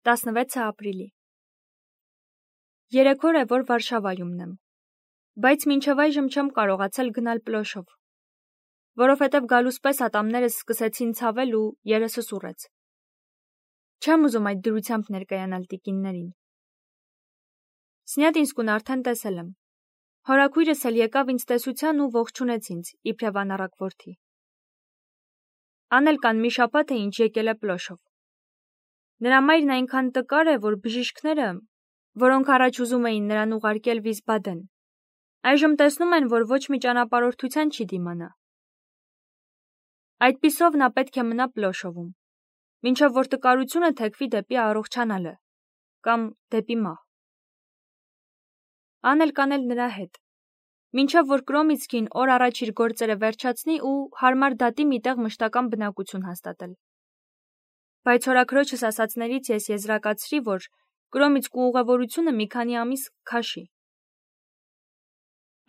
16 ապրիլի։ 3 օր է, որ Վարշավայումն եմ, բայց մինչև այժմ չեմ կարողացել գնալ Պլոշով, որովհետև գալուս պես ատամներս սկսեցին ցավել ու երեսս ուռեց։ Չեմ ուզում այդ դրությամբ ներկայանալ տիկիններին։ Սնյատինսկուն արդեն տեսել եմ։ Հորաքույրս էլ եկավ ինձ տեսության ու ողջունեց ինձ, իբրև անառակ որդի։ Անելկան մի շաբաթ է ինչ եկել է Պլոշով։ Նրա մայրն այնքան տկար է, որ բժիշկները, որոնք առաջ ուզում էին նրան ուղարկել Վիսբադեն, այժմ տեսնում են, որ ոչ մի ճանապարհորդության չի դիմանա։ Այդպիսով նա պետք է մնա Պլոշովում, մինչև որ տկարությունը թեքվի դեպի առողջանալը կամ դեպի մահ։ Անելկան էլ նրա հետ, մինչև որ Կրոմիցկին օր առաջ իր գործերը վերջացնի ու հարմար դատի մի տեղ մշտական բնակություն հաստատել։ Բայց հորաքրոջս ասածներից ես եզրակացրի, որ Կրոմիցկու ուղևորությունը մի քանի ամիս քաշի։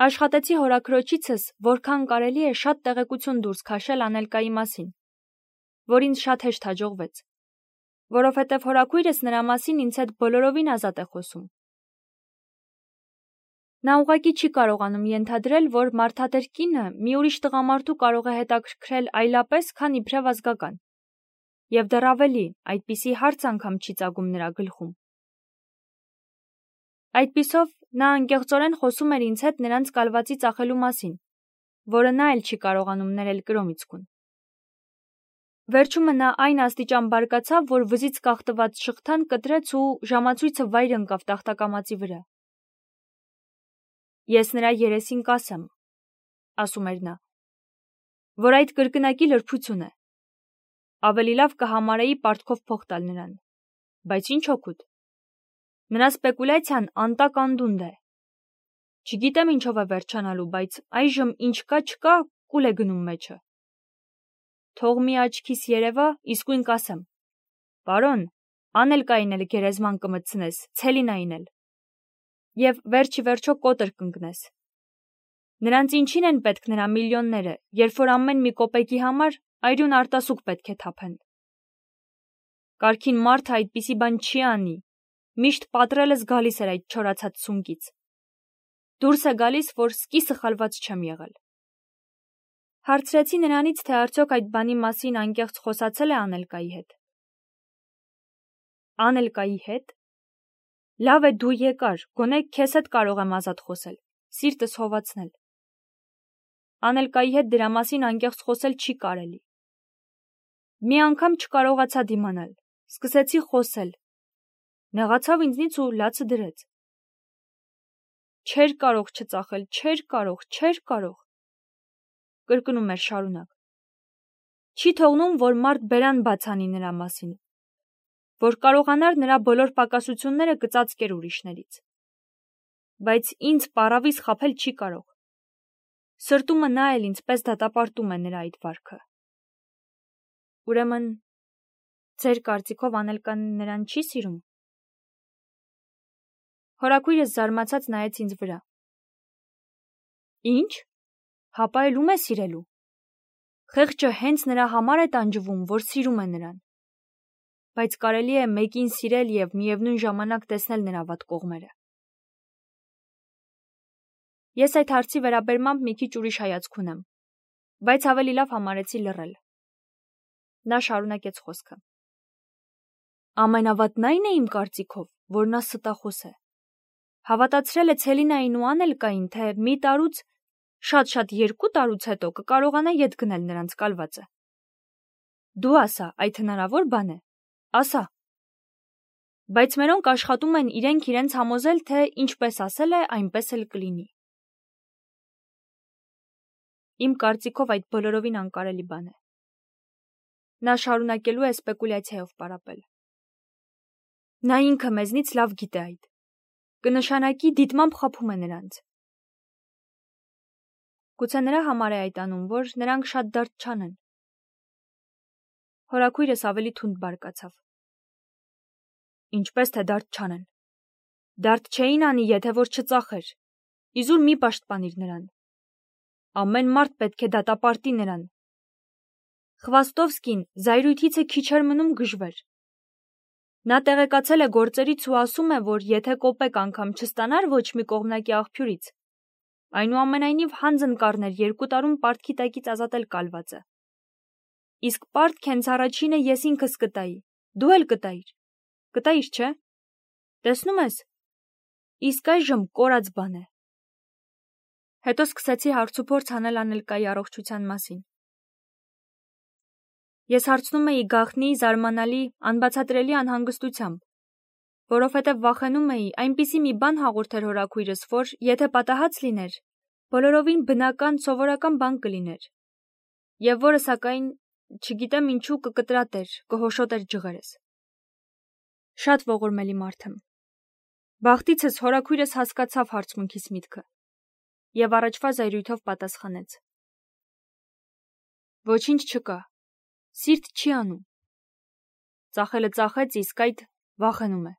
Աշխատեցի հորաքրոջիցս, որքան կարելի է շատ տեղեկություն դուրս քաշել Անելկայի մասին, որ ինձ շատ հեշտ հաջողվեց, որովհետև հորաքույրս նրա մասին ինձ հետ բոլորովին ազատ է խոսում։ Նա ուղղակի չի կարողանում ենթադրել, որ մարդատեր կինը մի ուրիշ տղամարդու կարող է հետաքրքրել այլապես, քան իբրև ազգական, և դեռ ավելի, այդպիսի հարց անգամ չի ծագում նրա գլխում։ Այդպիսով նա անկեղծորեն խոսում էր ինձ հետ նրանց կալվածի ծախելու մասին, որը նա էլ չի կարողանում ներել Կրոմիցկուն։ Վերջումը նա այն աստիճան բարկացավ, որ վզից կախտված շղթան կտրեց ու ժամացույցը վայր ընկավ տախտակամածի վրա։ Ես նրա երեսին կասեմ, ասում էր նա, որ այդ կրկնակի լրբություն է։ Ավելի լավ կհամարեի պարտքով փող տալ նրան, բայց ինչ օգուտ։ Նրա սպեկուլյացիան անտակ անդունդ է։ Չգիտեմ ինչով է վերջանալու, բայց այժմ ինչ կա չկա, կուլ է գնում մեջը։ Թող մի աչքիս երևա, իսկույն կասեմ. Պարոն, Անելկային էլ գերեզման կմտցնես, Ցելինային էլ։ Եվ վերջի վերջո կոտր կընկնես։ Նրանց ինչին են պետք նրա միլիոնները, երբ որ ամեն մի կոպեկի համար այրուն արտասուք պետք է թափեն։ Կարգին մարդը այդպիսի բան չի անի, միշտ պատրելս գալիս էր այդ չորացած սունկից։ Դուրս է գալիս, որ սկի սխալված չեմ եղել։ Հարցրեցի նրանից, թե արդյոք այդ բանի մասին անկեղծ խոսացել է Անելկայի հետ։ Անելկայի հետ։ Լավ է դու եկար, գոնե քեզ հետ կարող եմ ազատ խոսել, սիրտս հովացնել։ Անելկայի հետ դրա մասին անկեղծ խոսել չի կարելի։ Մի անգամ չկարողացա դիմանալ, սկսեցի խոսել։ Նեղացավ ինձնից ու լացը դրեց։ Չէր կարող չծախել, չէր կարող։ Կրկնում էր շարունակ։ Չի թողնում, որ մարդ բերան բաց անի նրա մասին, որ կարողանար նրա բոլոր պակասությունները կծածկեր ուրիշներից։ Բայց ինձ պառավիս խաբել չի կարող։ Սրտումը նա էլ ինձպես դատապարտում է նրա այդ վարքը։ Ուրեմն, ձեր կարծիքով Անելկան նրան չի սիրում։ Հորաքույրս զարմացած նայեց ինձ վրա։ Ինչ։ Հապա էլ ում է սիրելու։ Խեղճը հենց նրա համար է տանջվում, որ սիրում է նրան։ Բայց կարելի է մեկին սիրել և միևնույն ժամանակ տեսնել նրա վատ կողմերը։ Ես այդ հարցի վերաբերմամբ մի քիչ ուրիշ հայացք ունեմ, բայց ավելի լավ համարեցի լռել։ Նա շարունակեց խոսքը։ Ամենավատն այն է իմ կարծիքով, որ նա ստախոս է։ Հավատացրել է Ցելինային ու Անելկային, թե մի տարուց, շատ 2 տարուց հետո կկարողանա ետ գնել նրանց կալվածը։ Դու ասա, այդ հնարավոր բան է։ Ասա։ Բայց մերոնք աշխատում են իրենց համոզել, թե ինչպես ասել է, այնպես էլ կլինի։ Իմ կարծիքով այդ բոլորովին անկարելի բան է։ Նա շարունակելու է սպեկուլյացիայով պարապել։ Նա ինքը մեզնից լավ գիտե այդ։ Կնշանակի դիտմամբ խաբում է նրանց։ Գուցե նրա համար է այդ անում, որ նրանք շատ դարդ չանեն։ Հորաքույրս ավելի թունդ բարկացավ։ Ինչպես թե դարդ չանեն։ Դարդ չէին անի, եթե որ չծախեր։ Իզուր մի պաշտպանիր նրան։ Ամեն մարդ պետք է դատապարտի նրան։ Խվաստովսկին զայրույթից է քիչ էր մնում գժվեր։ Նա տեղեկացել է գործերից ու ասում է, որ եթե կոպեկ անգամ չստանար ոչ մի կողմնակի աղբյուրից, այնուամենայնիվ հանձն կառներ 2 տարում պարտքի տակից ազատել կալվածը։ Իսկ պարտք հենց առաջինը ես ինքս կտայի, դու էլ կտայիր։ Կտայիր, չէ՞։ Տեսնում ես, իսկ այժմ կորած բան է։ Հետո սկսեցի հարցուփորձ անել Անելկայի առողջության մասին։ Ես հարցնում էի գաղտնի, զարմանալի, անբացատրելի անհանգստությամբ, որովհետև վախենում էի այնպիսի մի բան հաղորդեր հորաքույրս, որ եթե պատահած լիներ, բոլորովին բնական, սովորական բան կլիներ, եւ որը սակայն, չգիտեմ ինչու, կկտրատեր, կհոշոտեր ջղերս։ Շատ ողորմելի մարդ եմ։ Բախտիցս հորաքույրս հասկացավ հարցմունքիս միտքը եւ առաջվա զայրույթով պատասխանեց. Ոչինչ չկա, սիրտ չի անում։ Ծախելը ծախեց, իսկ այդ վախենում է։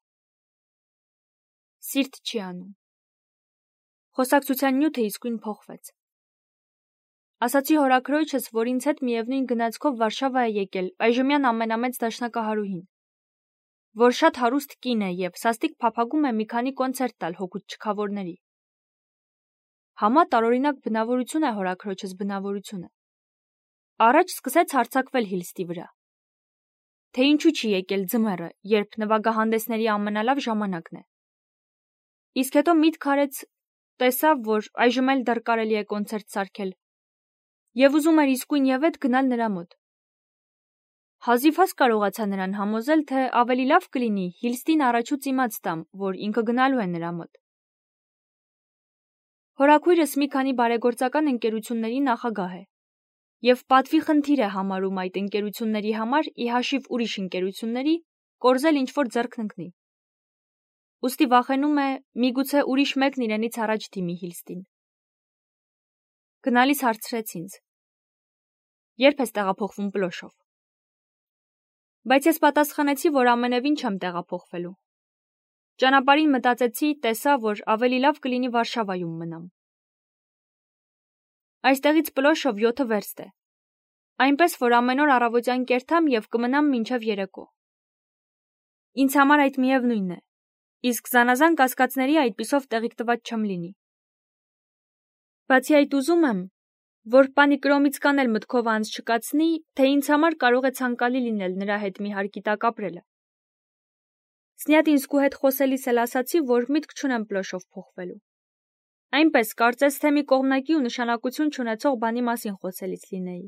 Սիրտ չի անում։ Խոսակցության նյութը իսկույն փոխվեց։ Ասացի հորաքրոջս, որ ինձ հետ միևնույն գնացքով Վարշավա է եկել այժմյան ամենամեծ դաշնակահարուհին, որ շատ հարուստ կին է եւ սաստիկ փափագում է մի քանի կոնցերտ տալ հօգուտ չքավորների։ Համա տարօրինակ բնավորություն է հորաքրոջս բնավորությունը։ Առաջ սկսեց հարձակվել Հիլստի վրա։ Թե ինչու չի եկել ձմեռը, երբ նվագահանդեսների ամենալավ ժամանակն է։ Իսկ հետո միտք արեց, տեսավ, որ այժմ էլ դեռ կարելի է կոնցերտ սարքել, եւ ուզում էր իսկույն եւ էդ գնալ նրա մոտ։ Հազիվհազ կարողացա նրան համոզել, թե ավելի լավ կլինի Հիլստին առաջուց իմաց տամ, որ ինքը գնալու է նրա մոտ։ Հորաքույրս մի քանի բարեգործական ընկերությունների նախագահ է եւ պատվի խնդիր է համարում այդ ընկերությունների համար ի հաշիվ ուրիշ ընկերությունների կորզել ինչ-որ ձեռքն ընկնի։ Ուստի վախենում է, միգուցե ուրիշ մեկն իրենից առաջ դիմի Հիլստին։ Գնալիս հարցրեց ինձ. Երբ ես տեղափոխվում Պլոշով։ Բայց ես պատասխանեցի, որ ամենևին չեմ տեղափոխվելու։ Ճանապարհին մտածեցի, տեսա, որ ավելի լավ կլինի Վարշավայում մնամ։ Այստեղից Պլոշով 7 վերստ է։ Այնպես, որ ամեն օր առավոտյան կերթամ եւ կմնամ մինչև երեկո։ Ինձ համար այդ միևնույնն է, իսկ զանազան կասկածների այդպիսով տեղիք տված չեմ լինի։ Բացի այդ ուզում եմ, որ պանի Կրոմիցկան էլ մտքով անց չկացնի, թե ինձ համար կարող է ցանկալի լինել նրա հետ մի հարկի տակ ապրելը։ Սնյատինսկու հետ խոսելիս էլ ասացի, որ միտք չունեմ Պլոշով փոխվելու։ Այնպես կարծես թե մի կողմնակի ու նշանակություն չունեցող բանի մասին խոսելիս լինեի։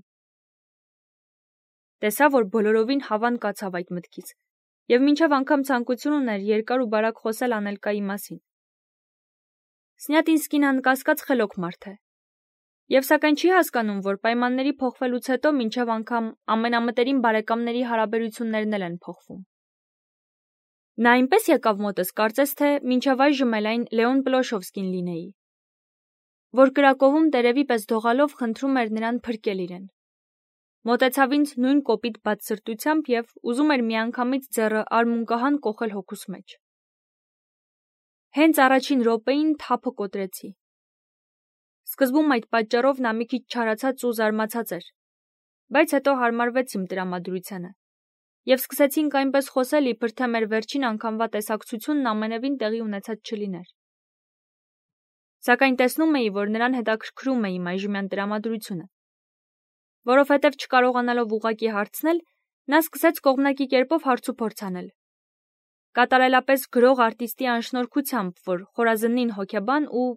Տեսա, որ բոլորովին հավան կացավ այդ մտքից, եւ մինչև անգամ ցանկություն ուներ երկար ու բարակ խոսել Անելկայի մասին։ Սնյատինսկին անկասկած խելոք մարդ է, եւ սակայն չի հասկանում, որ պայմանների փոխվելուց հետո մինչև անգամ ամենամտերիմ բարեկամների հարաբերություններն էլ են փոխվում։ Նա այնպես եկավ մոտս, կարծես թե մինչև այժմ էլ այն Լեոն Պլոշովսկին լինեի, որ Կրակովում տերևի պես դողալով խնդրում էր նրան փրկել իրեն։ Մոտեցավ ինձ նույն կոպիտ բաց սրտությամբ եւ ուզում էր միանգամից ձեռը արմունկահան կոխել հոգուս մեջ։ Հենց առաջին րոպեին թափը կոտրեցի։ Սկզբում այդ պատճառով նա մի քիչ չարացած ու զարմացած էր, բայց հետո հարմարվեց իմ տրամադրությանը եւ սկսեցինք այնպես խոսել, իբր թե մեր վերջին անգամվա տեսակցությունն ամենևին տեղի ունեցած չլիներ։ Սակայն տեսնում էի, որ նրան հետաքրքրում է իմ այժմյան տրամադրությունը, որովհետև չկարողանալով ուղղակի հարցնել, նա սկսեց կողմնակի կերպով հարցուփորձ անել։ Կատարելապես գրող արտիստի անշնորհքությամբ, որ խորազնին հոգեբան ու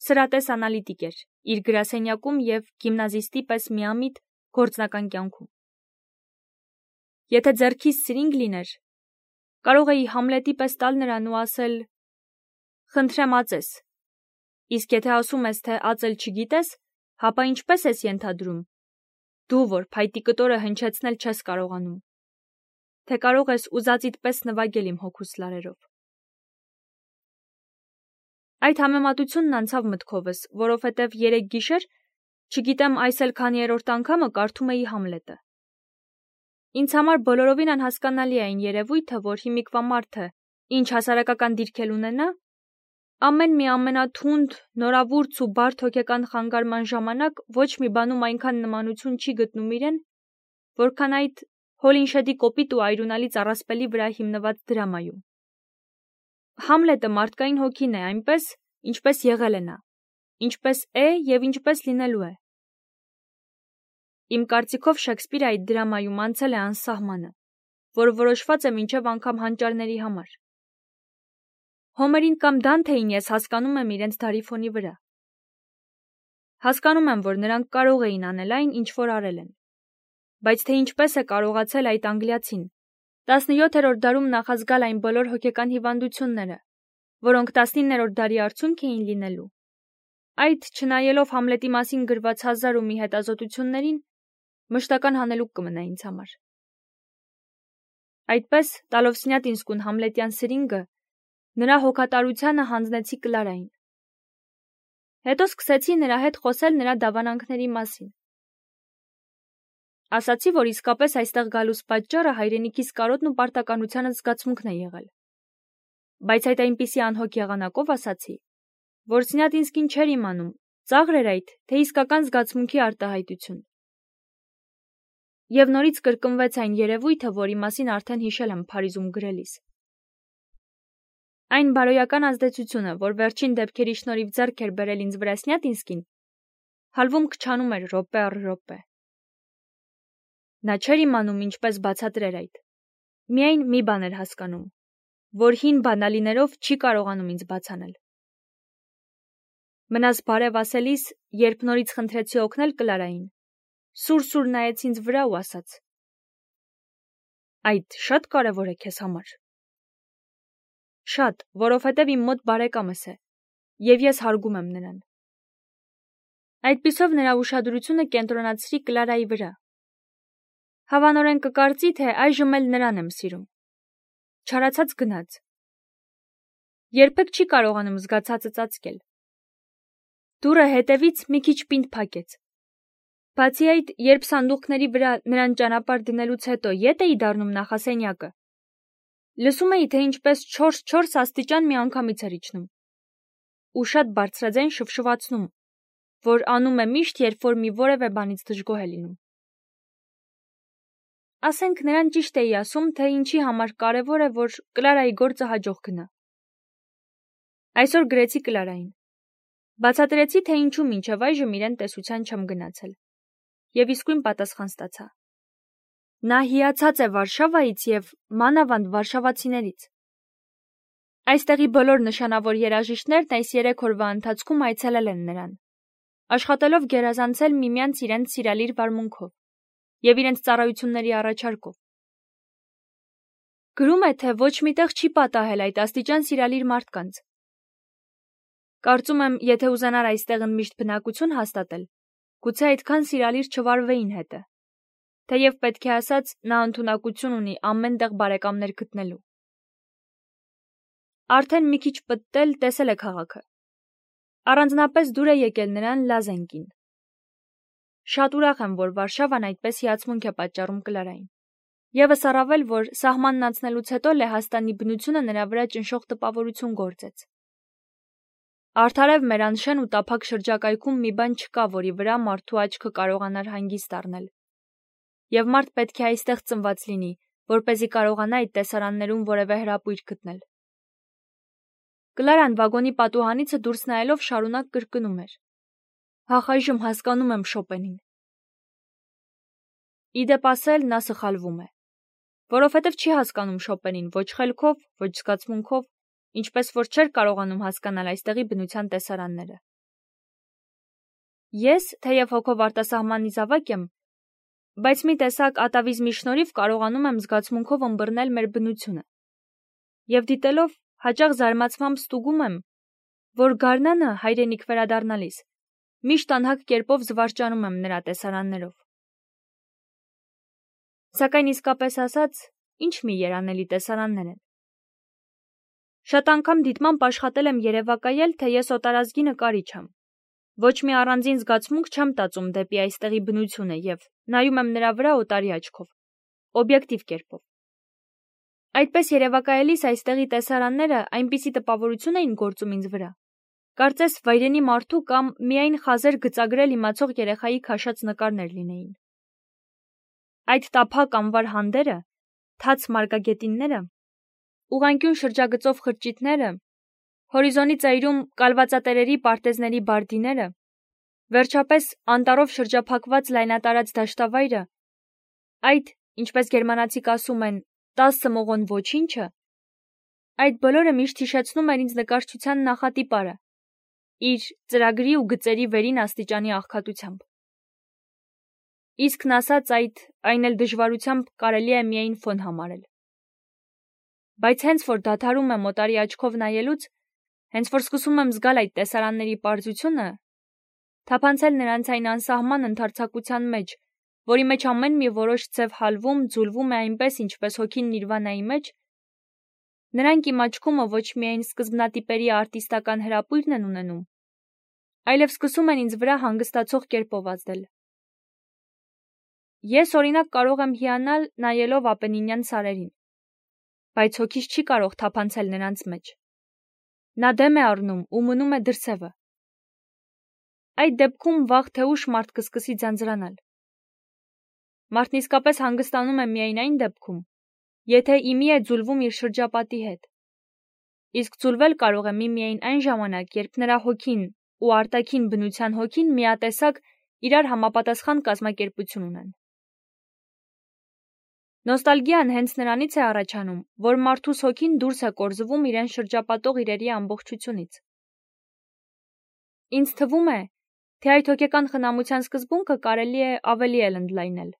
սրատես անալիտիկ էր իր գրասենյակում եւ գիմնազիստի պես միամիտ գործնական կյանքում։ Եթե ձեռքիս սրինգ լիներ, կարող էի Համլետի պես տալ նրան ու ասել. «Խնդրեմ ածես», իսկ եթե ասում ես, թե ածել չգիտես, հապա ինչպես ես ենթադրում, դու, որ փայտի կտորը հնչեցնել չես կարողանում, թե կարող ես ուզածիդ պես նվագել իմ հոգուս լարերով։ Այդ համեմատությունն անցավ մտքովս, որովհետև երեկ գիշեր, չգիտեմ այս էլ քանիերորդ անգամը կարդում էի Համլետը։ Ինձ համար բոլորովին անհասկանալի է այն երևույթը, որ հիմիկվա մարդը, ինչ հասարակական դիրք էլ ունենա, ամեն մի ամենաթունդ, նորավուրց ու բարդ հոգեկան խանգարման ժամանակ ոչ մի բանում այնքան նմանություն չի գտնում իրեն, որքան այդ Հոլինշեդի կոպիտ ու այրունալի ծառասպելի վրա հիմնված դրամայում։ Համլետը մարդկային հոգին է այնպես, ինչպես եղել է նա, ինչպես է և ինչպես լինելու է։ Իմ կարծիքով Շեքսպիրը այդ դրամայում անցել է անսահմանը, որը որոշված է մինչև անգամ հանճարների համար։ Հոմերին կամ Դանթեին ես հասկանում եմ իրենց դարի ֆոնի վրա։ Հասկանում եմ, որ նրանք կարող էին անել այն, ինչ որ արել են։ Բայց թե ինչպես է կարողացել այդ անգլիացին 17-րդ դարում նախազգալ այն բոլոր հոգեկան հիվանդությունները, որոնք 19-րդ դարի արդյունք էին լինելու։ Այդ, չնայելով Համլետի մասին գրված հազար ու մի հետազոտություններին, մշտական հանելուկ կմնա ինձ համար։ Այդպես, տալով Սնյատինսկուն համլետյան սրինգը, նրա հոգատարությանը հանձնեցի Կլարային։ Հետո սկսեցի նրա հետ խոսել նրա դավանանքների մասին։ Ասացի, որ իսկապես այստեղ գալուս պատճառը հայրենիքիս կարոտն ու պարտականության զգացմունքն է եղել։ Բայց այդ այնպիսի անհոգ եղանակով ասացի, որ Սնյատինսկին չէր իմանում, ծաղր էր այդ, թե իսկական զգացմունքի արտահայտություն։ Եվ նորից կրկնվեց այն երևույթը, որի մասին արդեն հիշել եմ Փարիզում գրելիս։ Այն բարոյական ազդեցությունը, որ վերջին դեպքերի շնորհիվ ձեռք էր բերել ինձ վրա Սնյատինսկին, հալվում քչանում էր րոպե առ րոպե։ Նա չէր իմանում ինչպես բացատրեր այդ։ Միայն մի բան էր հասկանում, որ հին բանալիներով չի կարողանում ինձ բացանել։ Մնաս բարև ասելիս, երբ նորից խնդրեցի օգնել Կլարային, սուր նայեց ինձ վրա ու ասաց. Այդ շատ կարևոր է քեզ համար։ Շատ, որովհետև իմ մոտ բարեկամս է, և ես հարգում եմ նրան։ Այդպիսով նրա ուշադրությունը կենտրոնացրի Կլարայի վրա։ Հավանորեն կկարծի, թե այժմ էլ նրան եմ սիրում։ Չարացած գնաց։ Երբեք չի կարողանում զգացածը ծածկել։ Դուռը հետևից մի քիչ պինդ փակեց։ Բացի այդ, երբ սանդուղքների վրա նրան ճանապարհ դնելուց հետո ետ էի դառնում նախասենյակը, լսում էի, թե ինչպես 4 աստիճան միանգամից էր իջնում ու շատ բարձրաձայն շվշվացնում, որ անում է միշտ, երբ որ մի որևէ բանից դժգոհ է լինում։ Ասենք նրան ճիշտ էի ասում, թե ինչի համար կարևոր է, որ Կլարայի գործը հաջող գնա։ Այսօր գրեցի Կլարային։ Բացատրեցի, թե ինչու մինչև այժմ իրեն տեսության չեմ գնացել։ Եվ իսկույն պատասխան ստացա։ Նա հիացած է Վարշավայից և մանավանդ վարշավացիներից։ Այստեղի բոլոր նշանավոր երաժիշտներն այս 3 օրվա ընթացքում այցելել են նրան, աշխատելով գերազանցել միմյանց իրենց սիրալիր վարմունքով և իրենց ծառայությունների առաջարկով։ Գրում է, թե ոչ միտեղ չի պատահել այդ աստիճան սիրալիր մարդկանց։ Կարծում եմ, եթե ուզենար այստեղն միշտ բնակություն հաստատել, գուցե այդքան սիրալիր չվարվեին հետը, թեև պետք է ասած, նա ընդունակություն ունի ամեն տեղ բարեկամներ գտնելու։ Արդեն մի քիչ պտտել տեսել է քաղաքը։ Առանձնապես դուր է եկել նրան Լազենկին։ Շատ ուրախ եմ, որ Վարշավան այդպես հիացմունք է պատճառում Կլարային։ Եվս առավել, որ սահմանն անցնելուց հետո Լեհաստանի բնությունը նրա վրա ճնշող տպավորություն գործեց։ Արդարև մեր անշեն ու տափակ շրջակայքում մի բան չկա, որի վրա մարդու աչքը կարողանար հանգիստ առնել։ Եվ մարդ պետք է այստեղ ծնված լինի, որպեսզի կարողանա այդ տեսարաններում որևէ հրապույր գտնել։ Կլարան վագոնի պատուհանիցը դուրս նայելով շարունակ կրկնում էր. Հախ, այժմ հասկանում եմ Շոպենին։ Իդեպ ասել, նա սխալվում է, որովհետև չի հասկանում Շոպենին ոչ խելքով, ոչ զգացմունքով, ինչպես որ չէր կարողանում հասկանալ այստեղի բնության տեսարանները։ Ես, թեև հոգով արտասահմանի զավակ եմ, բայց մի տեսակ ատավիզմի շնորհիվ կարողանում եմ զգացմունքով ըմբռնել մեր բնությունը։ Եվ դիտելով, հաճախ զարմացմամբ ստուգում եմ, որ գարնանը հայրենիք վերադառնալիս միշտ անհագ կերպով զվարճանում եմ նրա տեսարաններով։ Սակայն իսկապես ասած, ինչ մի երանելի տեսարաններ են։ Շատ անգամ դիտմամբ աշխատել եմ երևակայել, թե ես օտարազգի նկարիչ եմ։ Ոչ մի առանձին զգացմունք չեմ տածում դեպի այստեղի բնությունը և նայում եմ նրա վրա օտարի աչքով, օբյեկտիվ կերպով։ Այդպես երևակայելիս այստեղի տեսարանները այնպիսի տպավորություն էին գործում ինձ վրա, կարծես վայրենի մարդու կամ միայն խազեր գծագրել իմացող երեխայի քաշած նկարներ լինեին։ Այդ տափակ անվար հանդերը, թաց մարգագետինները, ուղղանկյուն շրջագծով խրճիթները, հորիզոնի ծայրում կալվածատերերի պարտեզների բարդիները, վերջապես անտառով շրջափակված լայնատարած դաշտավայրը, այդ, ինչպես գերմանացիք ասում են, 10 մողոն ոչինչը, այդ բոլորը միշտ հիշեցնում էր ինձ նկարչության նախատիպարը, իր ծրագրի ու գծերի վերին աստիճանի աղքատությամբ։ Իսկն ասած այն էլ դժվարությամբ կարելի է միայն ֆոն համարել։ Բայց հենց որ դադարում եմ օտարի աչքով նայելուց, հենց որ սկսում եմ զգալ այդ տեսարանների պարզությունը, թափանցել նրանց այն անսահման ընդարձակության մեջ, որի մեջ ամեն մի որոշ ձև հալվում, ձուլվում է այնպես, ինչպես հոգին նիրվանայի մեջ, նրանք իմ աչքումը ոչ միայն սկզբնատիպերի արտիստական հրապույրն են ունենում, այլև սկսում են ինձ վրա հանգստացող կերպով ազդել։ Ես օրինակ կարող եմ հիանալ նայելով Ապենինյան սարերին, բայց հոգիս չի կարող թափանցել նրանց մեջ։ Նա դեմ է առնում ու մնում է դրսևը։ Այդ դեպքում վաղ թե ուշ մարդ կսկսի ձանձրանալ։ Մարդն իսկապես հանգստանում է միայն այն դեպքում, եթե իմի է ձուլվում իր շրջապատի հետ։ Իսկ ձուլվել կարող է միայն այն ժամանակ, երբ նրա հոգին ու արտաքին բնության հոգին միատեսակ իրար համապատասխան կազմակերպություն ունեն։ Նոստալգիան հենց նրանից է առաջանում, որ մարդուս հոգին դուրս է կորզվում իրեն շրջապատող իրերի ամբողջությունից։ Ինձ թվում է, թե այդ հոգեկան խնամության սկզբունքը կարելի է ավելի էլ ընդլայնել։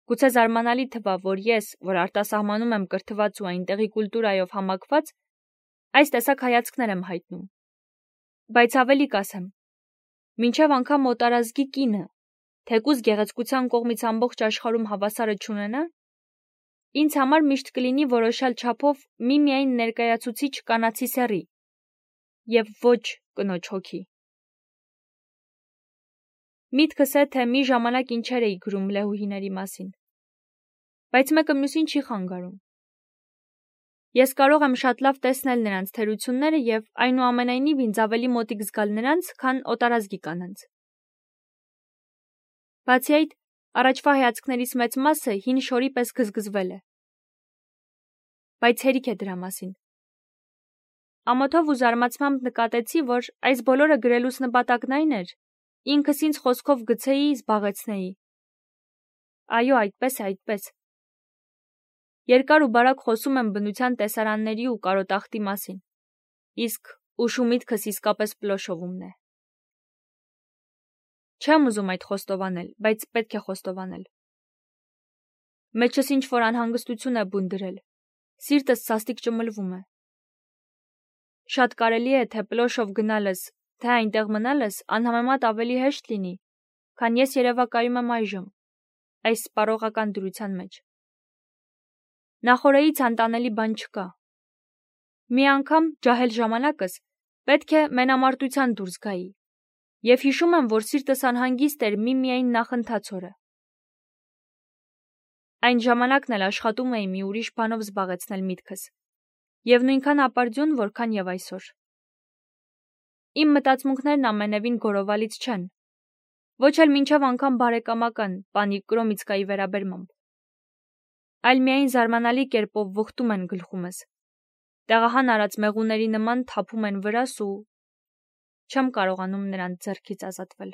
Գուցե զարմանալի թվա, որ ես, որ արտասահմանում եմ կրթված ու այնտեղի կուլտուրայով համակված, այս տեսակ հայացքներ եմ հայտնում։ Բայց ավելի կասեմ, մինչև անգամ օտարազգի կինը, թեկուզ գեղեցկության կողմից ամբողջ աշխարհում հավասարը չունենա, ինձ համար միշտ կլինի որոշալ չափով միմիայն ներկայացուցիչ կանացի սեռի և ոչ կնոջ հոգի։ Միտքս է, թե մի ժամանակ ինչեր էի գրում լեհուհիների մասին, բայց մեկը մյուսին չի խանգարում։ Ես կարող եմ շատ լավ տեսնել նրանց թերությունները և այնուամենայնիվ ինձ ավելի մոտիկ զգալ նրանց, քան օտարազգի կանանց։ Բացի այդ, առաջվա հայացքներիս մեծ մասը հին շորի պես գզգզվել է։ Բայց հերիք է դրա մասին։ Ամոթով ու զարմացմամբ նկատեցի, որ այս բոլորը գրելուս նպատակն այն էր, ինքս ինձ խոսքով գցեի, զբաղեցնեի։ Այո, այդպես։ Երկար ու բարակ խոսում եմ բնության տեսարանների ու կարոտախտի մասին, իսկ ուշ ու միտքս իսկապես պլոշովումն է։ Չեմ ուզում այդ խոստովանել, բայց պետք է խոստովանել։ Մեջս ինչ-որ անհանգստություն է բուն դրել, սիրտս սաստիկ ճմլվում է։ Շատ կարելի է, թե պլոշով գնալս, թե այնտեղ մնալս անհամեմատ ավելի հեշտ լինի, քան ես երևակայում եմ այժմ, այս սպառողական դրության մեջ։ Նախօրեից անտանելի բան չկա։ Մի անգամ ջահել ժամանակս պետք է մենամարտության դուրս գայի, և հիշում եմ, որ սիրտս անհանգիստ էր միմիայն նախընթաց օրը։ Այն ժամանակն էլ աշխատում էի մի ուրիշ բանով զբաղեցնել միտքս, և նույնքան ապարդյուն, որքան և այսօր։ Իմ մտածմունքներն ամենևին գորովալից չեն, ոչ էլ մինչև անգամ բարեկամական, պանիկ Կրոմիցկայի վերաբերմամբ, այլ միայն զարմանալի կերպով վխտում են գլխումս, տեղահան արած մեղուների նման թափում են վրաս ու չեմ կարողանում նրանց ձեռքից ազատվել։